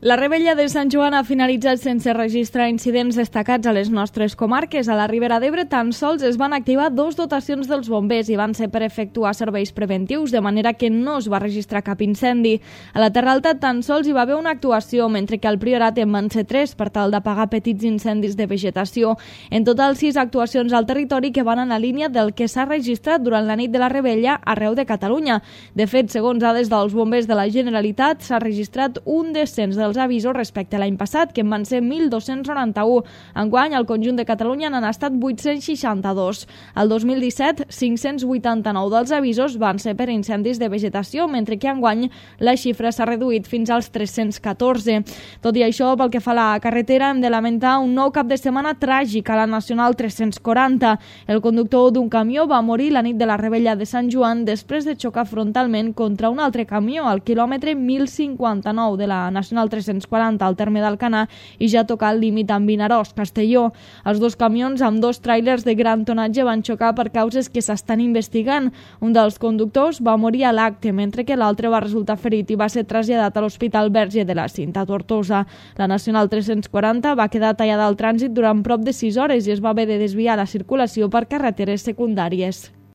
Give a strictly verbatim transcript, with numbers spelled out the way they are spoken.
La Rebella de Sant Joan ha finalitzat sense registrar incidents destacats a les nostres comarques. A la Ribera d'Ebre tan sols es van activar dos dotacions dels bombers i van ser per efectuar serveis preventius, de manera que no es va registrar cap incendi. A la Terra Alta tan sols hi va haver una actuació, mentre que al Priorat en van ser tres per tal d'apagar petits incendis de vegetació. En total, sis actuacions al territori que van en la línia del que s'ha registrat durant la nit de la Rebella arreu de Catalunya. De fet, segons dades dels bombers de la Generalitat, s'ha registrat un descens dels avisos respecte a l'any passat, que en van ser mil dos-cents noranta-u. Enguany, al conjunt de Catalunya n'han estat vuit-cents seixanta-dos. El dos mil disset, cinc-cents vuitanta-nou dels avisos van ser per incendis de vegetació, mentre que enguany la xifra s'ha reduït fins als tres-cents catorze. Tot i això, pel que fa a la carretera, hem de lamentar un nou cap de setmana tràgic a la Nacional tres-cents quaranta. El conductor d'un camió va morir la nit de la Rebella de Sant Joan després de xocar frontalment contra un altre camió al quilòmetre mil cinquanta-nou de la Nacional tres-cents quaranta al terme d'Alcanar i ja tocar el límit amb Vinaròs, Castelló. Els dos camions amb dos tràilers de gran tonatge van xocar per causes que s'estan investigant. Un dels conductors va morir a l'acte, mentre que l'altre va resultar ferit i va ser traslladat a l'Hospital Verge de la Cinta Tortosa. La Nacional tres-cents quaranta va quedar tallada al trànsit durant prop de sis hores i es va haver de desviar la circulació per carreteres secundàries.